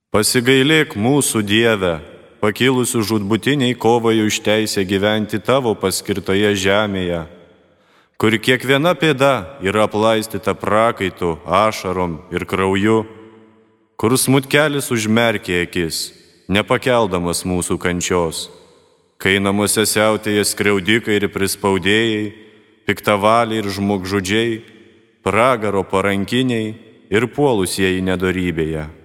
Pasigailėk mūsų Dieve, pakilusių žūtbūtiniai kovai už teisę gyventi tavo paskirtoje žemėje, kur kiekviena pėda yra aplaistyta prakaitu, ašarom ir krauju, kur smutkelis užmerkė akis, nepakeldamas mūsų kančios, kai namuose siautėja skriaudikai ir prispaudėjai, piktavaliai ir žmogžudžiai, pragaro parankiniai ir puolusieji nedorybėje.